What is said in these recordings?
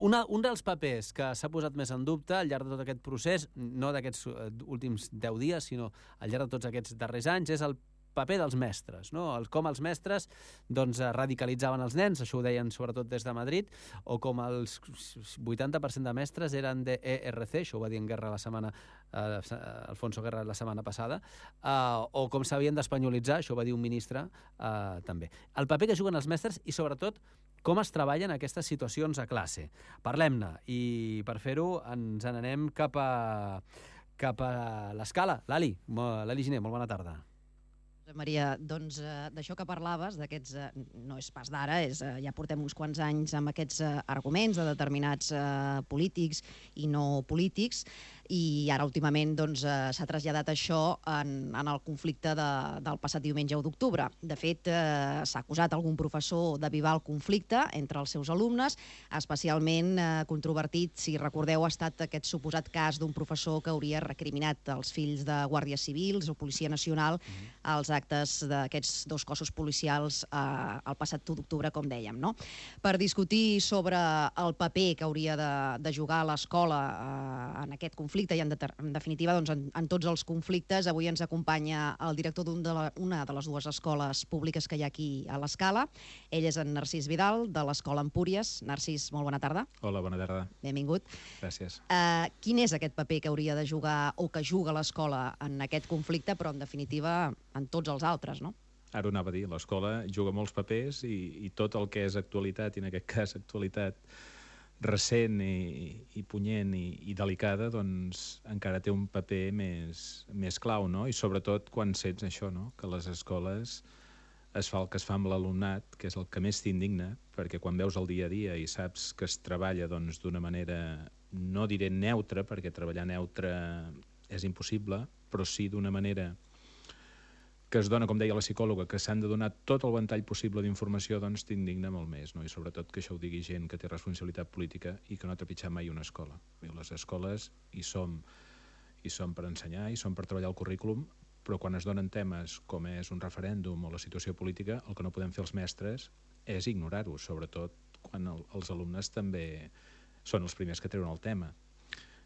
Un dels papers que s'ha posat més en dubte al llarg de tot aquest procés, no d'aquests últims 10 dies, sinó al llarg de tots aquests darrers anys, és el paper dels mestres, no? Com els mestres radicalitzaven els nens, això ho deien sobretot des de Madrid, o com els 80% de mestres eren d'ERC, això ho va dir en Guerra Alfonso Guerra la setmana passada, o com s'havien d'espanyolitzar, això ho va dir un ministre també. El paper que juguen els mestres i sobretot com es treballen aquestes situacions a classe. Parlem-ne, i per fer-ho ens n'anem cap a l'Escala. Lali Giner, molt bona tarda. Maria, doncs d'això que parlaves, d'aquests, no és pas d'ara, ja portem uns quants anys amb aquests arguments de determinats polítics i no polítics, i ara últimament s'ha traslladat això en el conflicte del passat diumenge 1 d'octubre. De fet, s'ha acusat algun professor d'avivar el conflicte entre els seus alumnes, especialment controvertit, si recordeu, ha estat aquest suposat cas d'un professor que hauria recriminat els fills de guàrdies civils o Policia Nacional als actes d'aquests dos cossos policials el passat 1 d'octubre, com dèiem, no? Per discutir sobre el paper que hauria de jugar l'escola en aquest conflicte i, en definitiva, en tots els conflictes, avui ens acompanya el director d'una de les dues escoles públiques que hi ha aquí a l'Escala. Ell és en Narcís Vidal, de l'Escola Empúries. Narcís, molt bona tarda. Hola, bona tarda. Benvingut. Gràcies. Quin és aquest paper que hauria de jugar o que juga l'escola en aquest conflicte, però, en definitiva, en tots els altres, no? Ara ho anava a dir, l'escola juga molts papers i tot el que és actualitat, i en aquest cas actualitat recent i punyent i delicada, doncs encara té un paper més clau, no? I sobretot quan sents això, no? Que les escoles es fa el que es fa amb l'alumnat, que és el que més t'indigna, perquè quan veus el dia a dia i saps que es treballa d'una manera, no diré neutra, perquè treballar neutre és impossible, però sí d'una manera que es dona, com deia la psicòloga, que s'han de donar tot el ventall possible d'informació, doncs t'indigna molt més, no? I sobretot que això ho digui gent que té responsabilitat política i que no ha trepitjat mai una escola. Les escoles hi som per ensenyar, hi som per treballar el currículum, però quan es donen temes com és un referèndum o la situació política, el que no podem fer els mestres és ignorar-ho, sobretot quan els alumnes també són els primers que treuen el tema.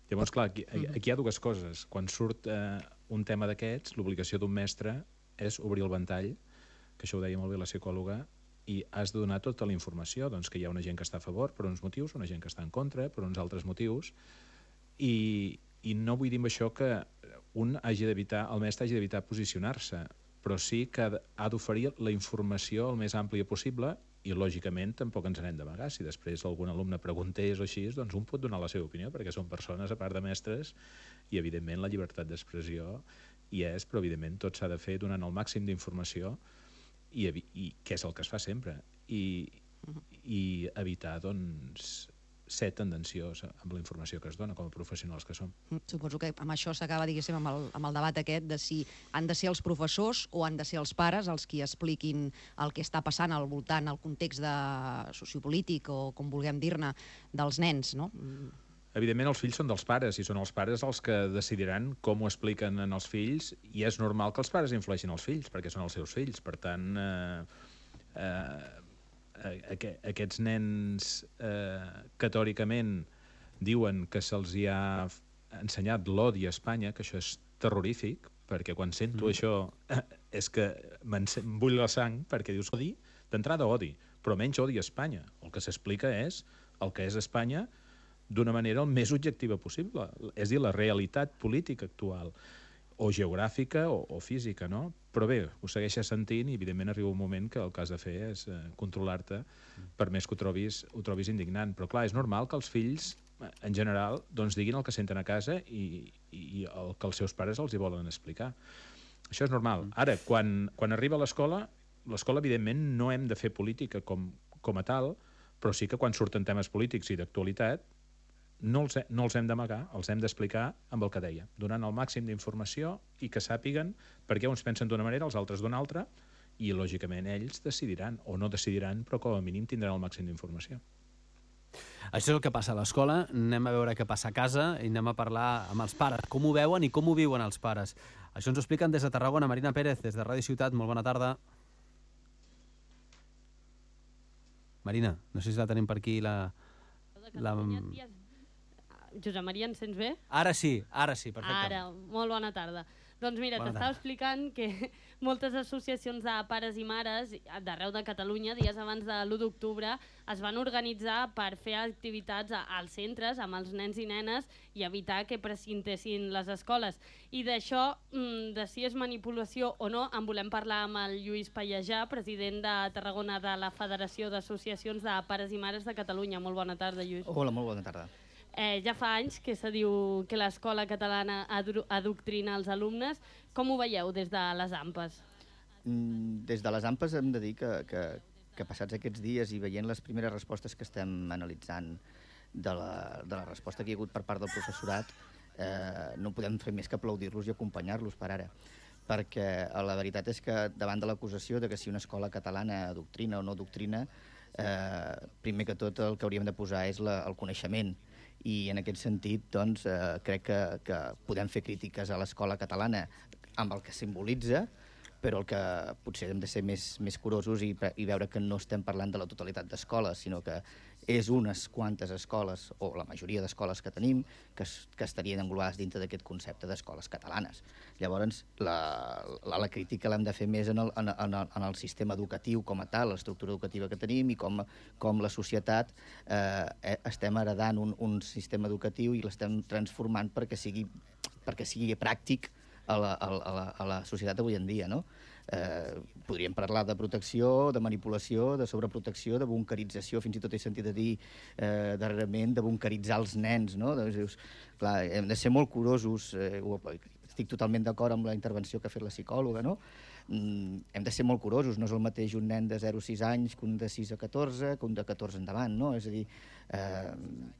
Llavors, clar, aquí hi ha dues coses. Quan surt un tema d'aquests, l'obligació d'un mestre és obrir el ventall, que això ho deia molt bé la psicòloga, i has de donar tota la informació, doncs que hi ha una gent que està a favor per uns motius, una gent que està en contra per uns altres motius, i no vull dir amb això que el mestre hagi d'evitar posicionar-se, però sí que ha d'oferir la informació el més àmplia possible i, lògicament, tampoc ens n'hem d'amagar. Si després algun alumne preguntés o així, doncs un pot donar la seva opinió, perquè són persones, a part de mestres, i, evidentment, la llibertat d'expressió hi és, però, evidentment, tot s'ha de fer donant el màxim d'informació i què és el que es fa sempre, i evitar, doncs, ser tendenciós amb la informació que es dona com a professionals que som. Suposo que amb això s'acaba, diguéssim, amb el debat aquest de si han de ser els professors o han de ser els pares els qui expliquin el que està passant al voltant, el context sociopolític o com vulguem dir-ne, dels nens, no? Evidentment, els fills són dels pares, i són els pares els que decidiran com ho expliquen als fills, i és normal que els pares influeixin els fills, perquè són els seus fills. Per tant, aquests nens que teòricament diuen que se'ls hi ha ensenyat l'odi a Espanya, que això és terrorífic, perquè quan sento això és que em bull la sang, perquè dius odi, d'entrada odi, però menys odi a Espanya. El que s'explica és el que és Espanya d'una manera el més objectiva possible, és a dir, la realitat política actual, o geogràfica o física, no? Però bé, ho segueixes sentint i, evidentment, arriba un moment que el que has de fer és controlar-te, per més que ho trobis indignant. Però, clar, és normal que els fills, en general, doncs diguin el que senten a casa i el que els seus pares els hi volen explicar. Això és normal. Ara, quan arriba a l'escola, evidentment, no hem de fer política com a tal, però sí que quan surten temes polítics i d'actualitat, no els hem d'amagar, els hem d'explicar amb el que deia, donant el màxim d'informació i que sàpiguen per què uns pensen d'una manera, els altres d'una altra, i, lògicament, ells decidiran, o no decidiran, però com a mínim tindran el màxim d'informació. Això és el que passa a l'escola. Anem a veure què passa a casa i anem a parlar amb els pares, com ho veuen i com ho viuen els pares. Això ens ho expliquen des de Tarragona. Marina Pérez, des de Ràdio Ciutat, molt bona tarda. Marina, no sé si la tenim per aquí, la Josep Maria, ens sents bé? Ara sí, perfecte. Ara, molt bona tarda. Doncs mira, t'estava explicant que moltes associacions de pares i mares d'arreu de Catalunya, dies abans de l'1 d'octubre, es van organitzar per fer activitats als centres amb els nens i nenes i evitar que precintessin les escoles. I d'això, de si és manipulació o no, en volem parlar amb el Lluís Pallejà, president de Tarragona de la Federació d'Associacions de Pares i Mares de Catalunya. Molt bona tarda, Lluís. Hola, molt bona tarda. Ja fa anys que se diu que l'escola catalana adoctrina els alumnes. Com ho veieu des de les AMPes? Des de les AMPes hem de dir que passats aquests dies i veient les primeres respostes que estem analitzant de la resposta que hi ha hagut per part del professorat, no podem fer més que aplaudir-los i acompanyar-los per ara. Perquè la veritat és que davant de l'acusació de que si una escola catalana adoctrina o no adoctrina, primer que tot el que hauríem de posar és el coneixement. I en aquest sentit doncs, crec que podem fer crítiques a l'escola catalana amb el que simbolitza, però el que potser hem de ser més curosos i veure que no estem parlant de la totalitat d'escoles, sinó que és unes quantes escoles, o la majoria d'escoles que tenim, que estarien englobades dintre d'aquest concepte d'escoles catalanes. Llavors, la crítica l'hem de fer més en el sistema educatiu com a tal, l'estructura educativa que tenim i com la societat estem heredant un sistema educatiu i l'estem transformant perquè sigui pràctic a la societat avui en dia, no? Podríem parlar de protecció, de manipulació, de sobreprotecció, de bunkerització, fins i tot he sentit a dir darrerament de bunkeritzar els nens, no? Doncs, clar, hem de ser molt curosos, estic totalment d'acord amb la intervenció que ha fet la psicòloga, no? Hem de ser molt curosos, no és el mateix un nen de 0 a 6 anys que un de 6 a 14, que un de 14 endavant, no? És a dir,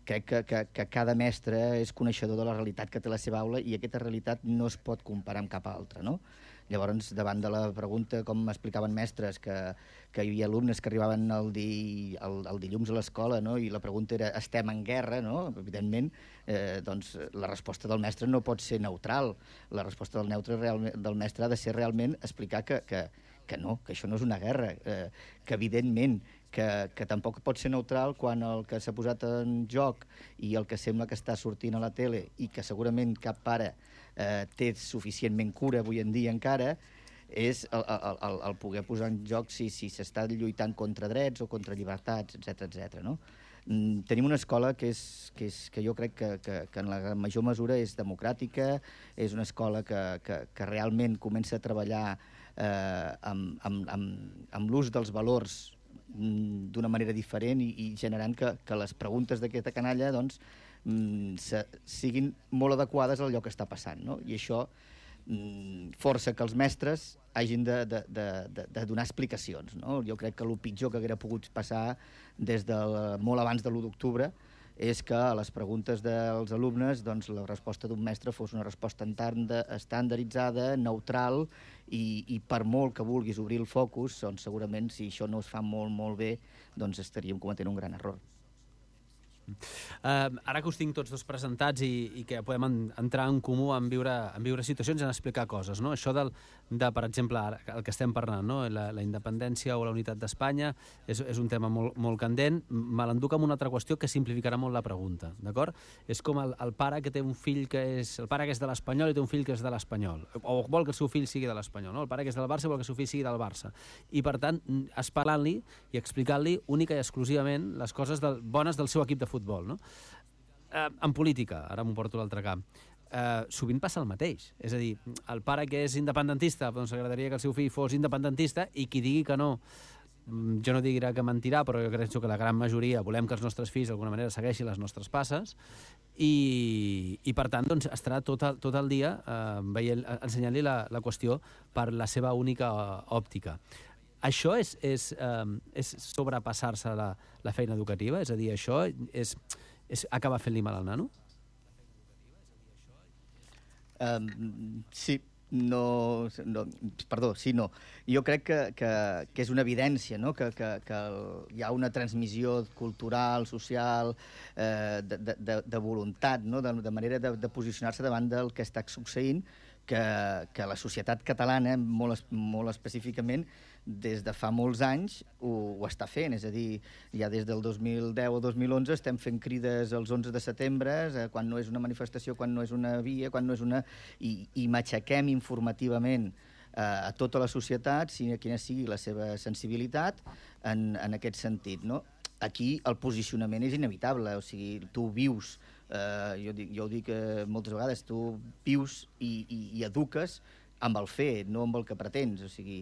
crec que cada mestre és coneixedor de la realitat que té la seva aula i aquesta realitat no es pot comparar amb cap altra, no? Llavors, davant de la pregunta, com m'explicaven mestres, que hi havia alumnes que arribaven el dilluns a l'escola, no? I la pregunta era, estem en guerra, no? Evidentment, doncs, la resposta del mestre no pot ser neutral. La resposta del mestre ha de ser realment explicar que no, que això no és una guerra, que evidentment que tampoc pot ser neutral quan el que s'ha posat en joc i el que sembla que està sortint a la tele i que segurament cap pare té suficientment cura avui en dia encara, és el poder posar en joc si s'està lluitant contra drets o contra llibertats, etc. No? Tenim una escola que jo crec que en la major mesura és democràtica, és una escola que realment comença a treballar amb l'ús dels valors d'una manera diferent i generant que les preguntes d'aquesta canalla doncs, siguin molt adequades al allò que està passant, no? I això força que els mestres hagin de donar explicacions, no? Jo crec que el pitjor que haguera pogut passar des de molt abans de l'1 d'octubre és que a les preguntes dels alumnes doncs, la resposta d'un mestre fos una resposta estandarditzada, neutral, i per molt que vulguis obrir el focus, doncs, segurament si això no es fa molt bé, doncs estaríem cometent un gran error. Ara que us tinc tots dos presentats i que podem entrar en comú en viure situacions i en explicar coses, no? Això de per exemple, ara, el que estem parlant, no? La independència o la unitat d'Espanya és un tema molt candent. Me l'enduc amb una altra qüestió que simplificarà molt la pregunta, d'acord? És com el pare que té un fill el pare que és de l'Espanyol i té un fill que és de l'Espanyol, o vol que el seu fill sigui de l'Espanyol, no? El pare que és del Barça vol que el seu fill sigui del Barça. I per tant, parlant-li i explicant-li única i exclusivament les coses bones del seu equip de futbol, no? En política, ara m'ho porto a l'altre camp, sovint passa el mateix. És a dir, el pare que és independentista, doncs agradaria que el seu fill fos independentista, i qui digui que no, jo no diré que mentirà, però jo crec que la gran majoria volem que els nostres fills d'alguna manera segueixin les nostres passes, i per tant doncs, estarà tot el dia ensenyant-li la qüestió per la seva única òptica. Això és sobrepassar-se la feina educativa? És a dir, això és acabar fent-li mal al nano? Sí, no. Jo crec que és una evidència, no? Que hi ha una transmissió cultural, social, de voluntat, no? De manera de posicionar-se davant del que està succeint, que la societat catalana, molt específicament, des de fa molts anys ho està fent, és a dir, ja des del 2010 o 2011 estem fent crides els 11 de setembre, quan no és una manifestació, quan no és una via, quan no és una... I matxaquem informativament a tota la societat, quina sigui la seva sensibilitat en aquest sentit, no? Aquí el posicionament és inevitable, o sigui, tu vius, jo ho dic moltes vegades, tu vius i eduques amb el fer, no amb el que pretens, o sigui,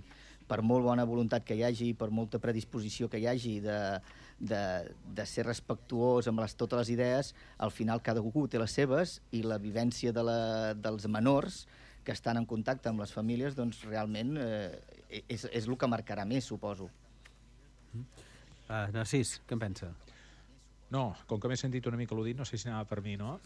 per molt bona voluntat que hi hagi, per molta predisposició que hi hagi de ser respectuós amb totes les idees, al final cada algú té les seves i la vivència dels menors que estan en contacte amb les famílies, doncs realment és el que marcarà més, suposo. Narcís, què en pensa? No, com que m'he sentit una mica al·ludit, no sé si anava per mi, no?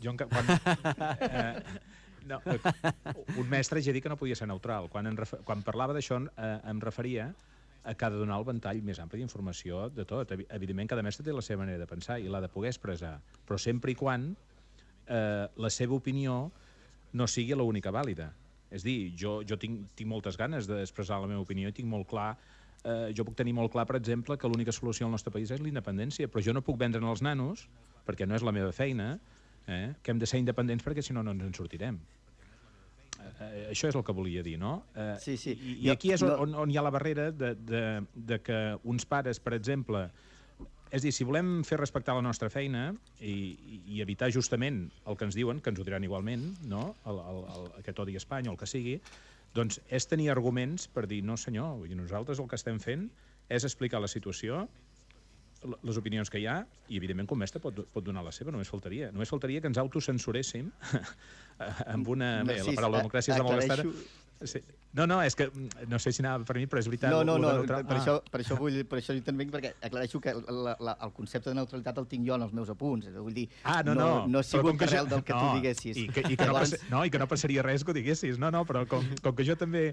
Un mestre ja dic que no podia ser neutral. Quan parlava d'això em referia a que ha de donar el ventall més ampli d'informació de tot. Evidentment, cada mestre té la seva manera de pensar i l'ha de poder expressar, però sempre i quan la seva opinió no sigui l'única vàlida. És dir, jo tinc moltes ganes d'expressar la meva opinió i tinc molt clar, jo puc tenir molt clar, per exemple, que l'única solució al nostre país és la independència, però jo no puc vendre'n als nanos, perquè no és la meva feina, que hem de ser independents perquè si no ens en sortirem. Això és el que volia dir, no? Sí. I aquí és on hi ha la barrera de que uns pares, per exemple... És a dir, si volem fer respectar la nostra feina i evitar justament el que ens diuen, que ens ho diran igualment, no? Aquest odi a Espanya o el que sigui, doncs és tenir arguments per dir, no senyor, nosaltres el que estem fent és explicar la situació, les opinions que hi ha, i evidentment com mestre pot donar la seva, només faltaria. Només faltaria que ens autocensuréssim amb una... Bé, la paraula democràcia és de molt gastada. No, és que no sé si anava per mi, però és veritat. Per això intervenc, perquè aclareixo que el concepte de neutralitat el tinc jo en els meus apunts. Vull dir, no ha sigut arrel del que tu diguessis. I que no passaria res que ho diguessis. No, però com que jo també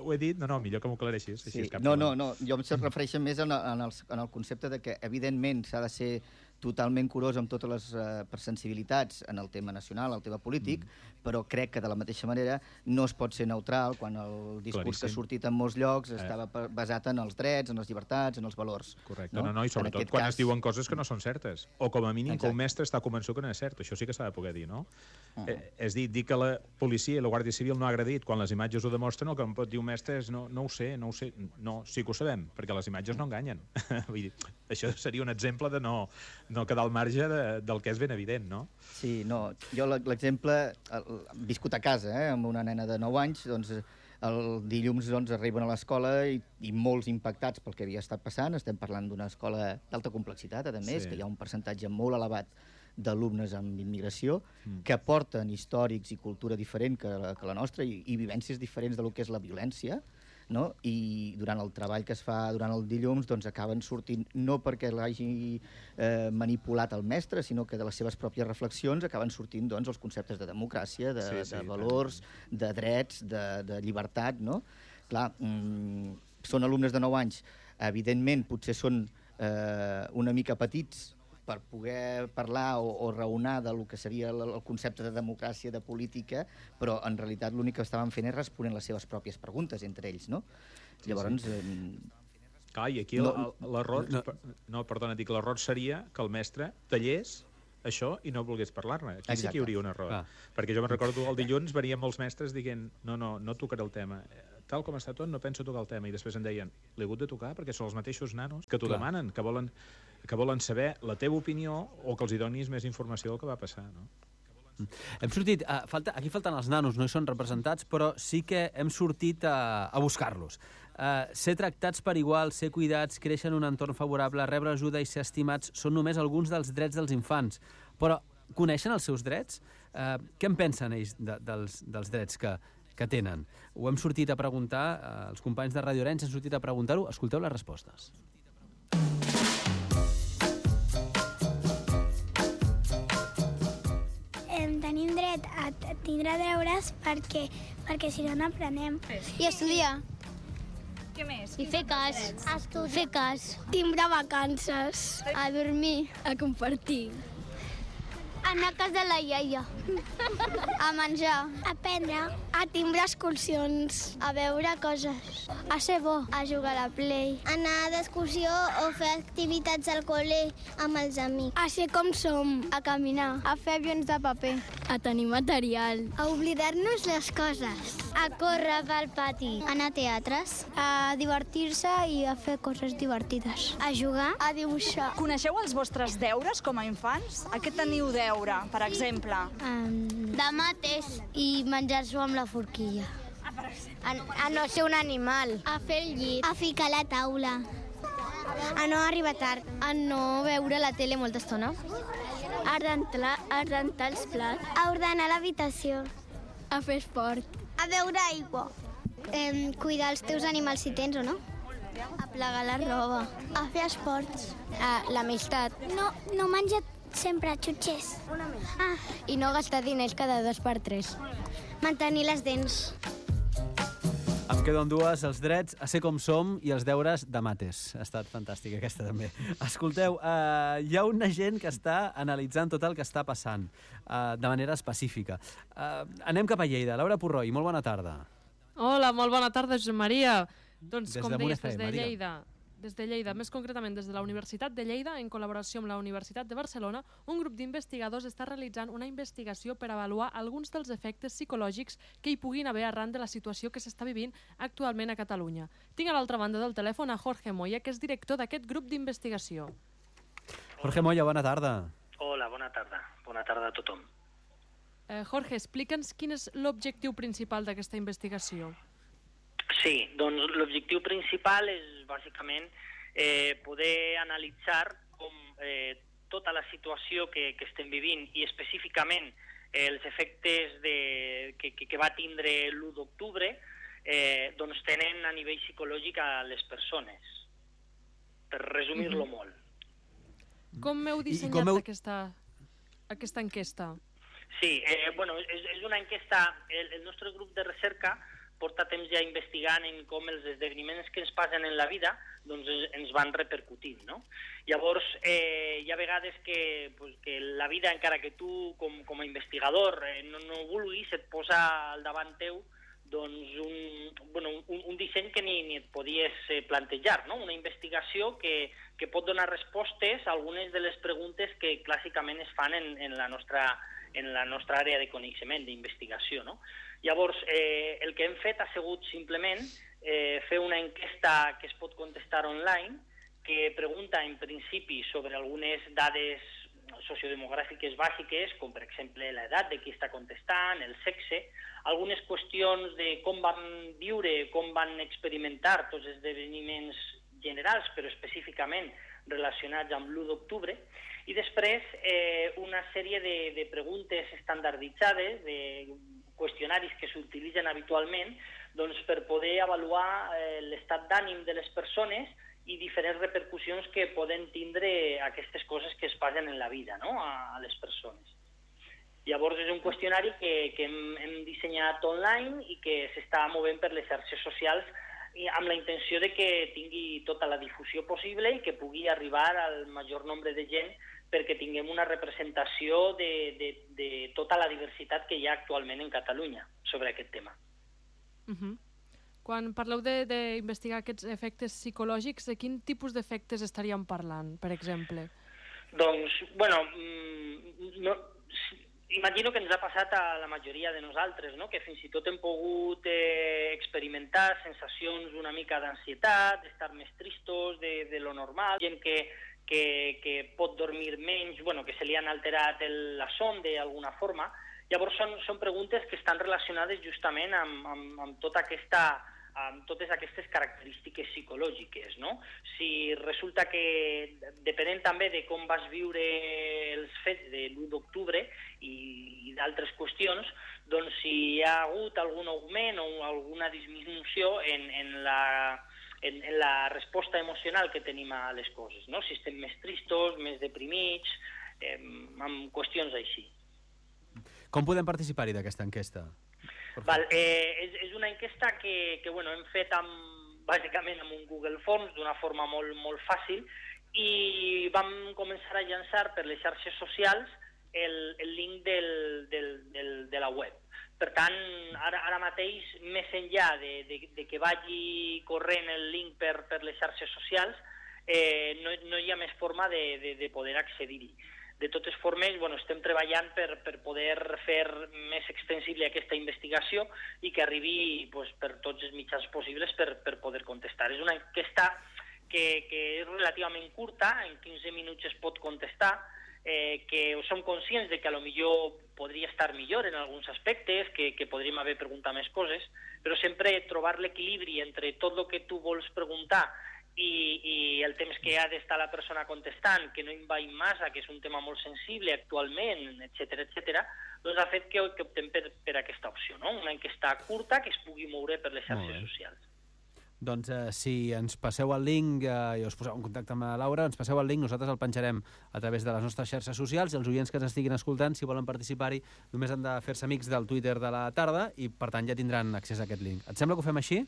ho he dit, millor que m'ho aclareixis. No, jo em refereixo més en el concepte de que, evidentment, s'ha de ser totalment curós amb totes les sensibilitats en el tema nacional, el tema polític, però crec que de la mateixa manera no es pot ser neutral quan el discurs que ha sortit en molts llocs estava basat en els drets, en les llibertats, en els valors. Correcte, i sobretot quan es diuen coses que no són certes, o com a mínim que un mestre està convençut que no és cert, això sí que s'ha de poder dir, no? És dir que la policia i la Guàrdia Civil no ha agredit quan les imatges ho demostren, el que em pot dir un mestre és no ho sé, sí que ho sabem, perquè les imatges no enganyen. Vull dir, això seria un exemple de no quedar al marge del que és ben evident, no? Sí, jo l'exemple, viscut a casa, amb una nena de 9 anys, doncs el dilluns arriben a l'escola i molts impactats pel que havia estat passant. Estem parlant d'una escola d'alta complexitat, a més, que hi ha un percentatge molt elevat d'alumnes amb immigració que porten històrics i cultura diferent que la nostra i vivències diferents de lo que és la violència, no? I durant el treball que es fa durant el dilluns doncs acaben sortint, no perquè l'hagi manipulat el mestre, sinó que de les seves pròpies reflexions acaben sortint doncs els conceptes de democràcia, de valors, de drets, de llibertat, no? Clar, són alumnes de 9 anys, evidentment potser són una mica petits per poder parlar o raonar del que seria el concepte de democràcia, de política, però en realitat l'únic que estaven fent és responent les seves pròpies preguntes entre ells, no? Llavors... Clar, i aquí l'error... No, perdona, dic, l'error seria que el mestre tallés això i no volgués parlar-ne. Aquí sí que hi hauria un error. Perquè jo me'n recordo el dilluns venien molts mestres dient no tocaré el tema. Tal com està tot, no penso tocar el tema. I després em deien, l'he hagut de tocar perquè són els mateixos nanos que t'ho demanen, que volen saber la teva opinió o que els hi donis més informació del que va passar, no? Hem sortit, aquí falten els nanos, no hi són representats, però sí que hem sortit a buscar-los. Ser tractats per igual, ser cuidats, créixer en un entorn favorable, rebre ajuda i ser estimats són només alguns dels drets dels infants. Però coneixen els seus drets? Què en pensen ells dels drets que tenen? Ho hem sortit a preguntar, els companys de Radio Arenys han sortit a preguntar-ho. Escolteu les respostes. Tenim dret a tindre deures perquè si no n'aprenem. I estudiar. Què més? I fer cas. Fer cas. Tindre vacances. A dormir. A compartir. Anar a casa de la iaia. A menjar. Aprendre A timbrar excursions. A veure coses. A ser bo. A jugar a la Play. Anar d'excursió o fer activitats al col·le amb els amics. A ser com som. A caminar. A fer avions de paper. A tenir material. A oblidar-nos les coses. A córrer pel pati. A anar a teatres. A divertir-se i a fer coses divertides. A jugar. A dibuixar. Coneixeu els vostres deures com a infants? A què teniu deure, per exemple? De mates i menjar-s'ho amb la forquilla. A no ser un animal. A fer el llit. A ficar la taula. A no arribar tard. A no veure la tele molta estona. A rentar els plats. A ordenar l'habitació. A fer esport. A beure aigua. Cuidar els teus animals si tens o no. A plegar la roba. A fer esports. L'amistat. No menjar sempre xutxers. I no gastar diners cada 2 per 3. Mantenir les dents. Em quedo amb dues, els drets a ser com som i els deures de mates. Ha estat fantàstica aquesta també. Escolteu, hi ha una gent que està analitzant tot el que està passant de manera específica. Anem cap a Lleida. Laura Purroi, molt bona tarda. Hola, molt bona tarda, Josep Maria. Doncs, Des com de deies, Monefem, des de Lleida, més concretament des de la Universitat de Lleida, en col·laboració amb la Universitat de Barcelona, un grup d'investigadors està realitzant una investigació per avaluar alguns dels efectes psicològics que hi puguin haver arran de la situació que s'està vivint actualment a Catalunya. Tinc a l'altra banda del telèfon a Jorge Moya, que és director d'aquest grup d'investigació. Jorge Moya, bona tarda. Hola, bona tarda. Bona tarda a tothom. Jorge, explica'ns quin és l'objectiu principal d'aquesta investigació. Sí, doncs l'objectiu principal és bàsicament poder analitzar com tota la situació que estem vivint i específicament els efectes que va tindre l'1 d'octubre doncs tenen a nivell psicològic a les persones, per resumir-lo molt. Com heu dissenyat aquesta enquesta? Sí, és una enquesta, el nostre grup de recerca porta temps ja investigant en com els esdeveniments que ens passen en la vida doncs ens van repercutint, no? Llavors, hi ha vegades que la vida, encara que tu com a investigador no vulguis, et posa al davant teu doncs un disseny que ni et podies plantejar, no? Una investigació que pot donar respostes a algunes de les preguntes que clàssicament es fan en la nostra àrea de coneixement, d'investigació, no? Llavors, el que hem fet ha sigut simplement fer una enquesta que es pot contestar online, que pregunta en principi sobre algunes dades sociodemogràfiques bàsiques, com per exemple l'edat de qui està contestant, el sexe, algunes qüestions de com van viure, com van experimentar tots els esdeveniments generals, però específicament relacionats amb l'1 d'octubre, i després una sèrie de preguntes estandarditzades, de qüestionaris que s'utilitzen habitualment doncs, per poder avaluar l'estat d'ànim de les persones i diferents repercussions que poden tindre aquestes coses que es passen en la vida, no? A les persones. Llavors és un qüestionari que hem dissenyat online i que s'està movent per les xarxes socials amb la intenció de que tingui tota la difusió possible i que pugui arribar al major nombre de gent perquè tinguem una representació de tota la diversitat que hi ha actualment en Catalunya sobre aquest tema. Quan parleu d'investigar aquests efectes psicològics, de quin tipus d'efectes estaríem parlant, per exemple? Doncs, imagino que ens ha passat a la majoria de nosaltres, no? Que fins i tot hem pogut experimentar sensacions una mica d'ansietat, d'estar més tristos de lo normal, gent que pot dormir menys, que se li han alterat la son d'alguna forma. Llavors són preguntes que estan relacionades justament amb totes aquestes característiques psicològiques, no? Si resulta que, depenent també de com vas viure els fets de l'1 d'octubre i d'altres qüestions, doncs si hi ha hagut algun augment o alguna disminució en la resposta emocional que tenim a les coses, no? Si estem més tristos, més deprimits, amb qüestions així. Com podem participar-hi d'aquesta enquesta? És una enquesta que hem fet bàsicament amb un Google Forms d'una forma molt, molt fàcil i vam començar a llançar per les xarxes socials el link de la web. Per tant, ara mateix, més enllà de que vagi corrent el link per les xarxes socials, no hi ha més forma de poder accedir-hi. De totes formes, estem treballant per poder fer més extensible aquesta investigació i que arribi per tots els mitjans possibles per poder contestar. És una enquesta que és relativament curta, en 15 minuts es pot contestar, que som conscients de que potser podria estar millor en alguns aspectes, que podríem haver preguntat més coses, però sempre trobar l'equilibri entre tot el que tu vols preguntar i el temps que ha d'estar la persona contestant, que no envaïm massa, que és un tema molt sensible actualment, etc., doncs ha fet que optem per aquesta opció, no? Una enquesta curta que es pugui moure per les xarxes socials. Doncs si ens passeu el link i us poseu en contacte amb la Laura, ens passeu el link, nosaltres el penjarem a través de les nostres xarxes socials i els oients que ens estiguin escoltant, si volen participar-hi, només han de fer-se amics del Twitter de la tarda i, per tant, ja tindran accés a aquest link. Et sembla que ho fem així?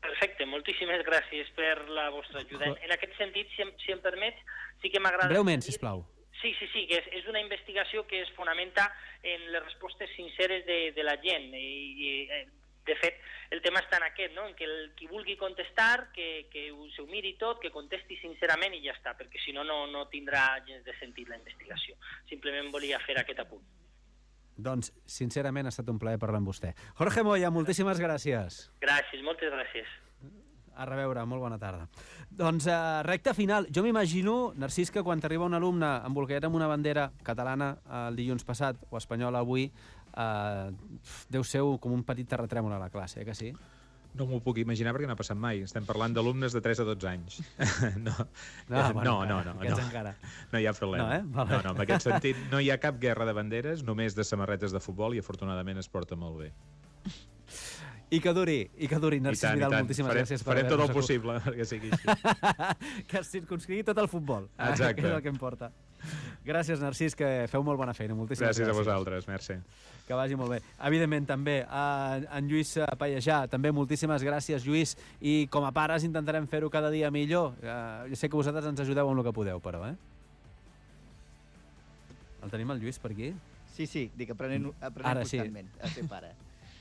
Perfecte, moltíssimes gràcies per la vostra ajuda. En aquest sentit, si em permets, sí que m'agrada... Breument, sisplau. Sí, que és una investigació que es fonamenta en les respostes sinceres de la gent i de fet, el tema està en aquest, no? En que qui vulgui contestar, que s'ho miri tot, que contesti sincerament i ja està, perquè si no, no tindrà gens de sentit la investigació. Simplement volia fer aquest apunt. Doncs, sincerament, ha estat un plaer parlar amb vostè. Jorge Moya, moltíssimes gràcies. Gràcies, moltes gràcies. A reveure, molt bona tarda. Doncs, recta final. Jo m'imagino, Narcís, que quan t'arriba un alumne embolcallat amb una bandera catalana el dilluns passat o espanyola avui, deu ser com un petit terratrèmol a la classe, que sí? No m'ho puc imaginar perquè no ha passat mai. Estem parlant d'alumnes de 3 a 12 anys. No, encara. No hi ha problema. No, en aquest sentit no hi ha cap guerra de banderes, només de samarretes de futbol i afortunadament es porta molt bé. I que duri, Narcís Vidal, moltíssimes gràcies. Faré tot el possible perquè sigui així. Que es circunscrigui tot el futbol. Exacte. Que és el que importa. Gràcies, Narcís, que feu molt bona feina. Moltíssimes gràcies. Gràcies a vosaltres, merci. Que vagi molt bé. Evidentment, també a en Lluís Pallejà, també moltíssimes gràcies, Lluís, i com a pares intentarem fer-ho cada dia millor. Jo sé que vosaltres ens ajudeu amb el que podeu, però, El tenim el Lluís per aquí? Sí, dic, aprenent constantment a ser pare.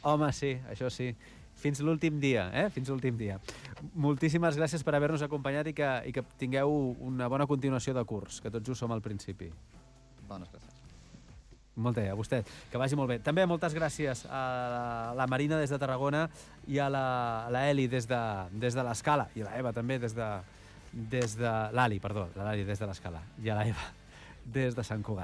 Home, sí, això sí. Fins l'últim dia, Fins l'últim dia. Moltíssimes gràcies per haver-nos acompanyat i que tingueu una bona continuació de curs, que tots just som al principi. Bones gràcies. Molt bé, a vostè. Que vagi molt bé. També moltes gràcies a la Marina des de Tarragona i a la Eli des de l'Escala, i a l'Eva també des de l'Ali, perdó, l'Ali des de l'Escala, i a l'Eva des de Sant Cugat.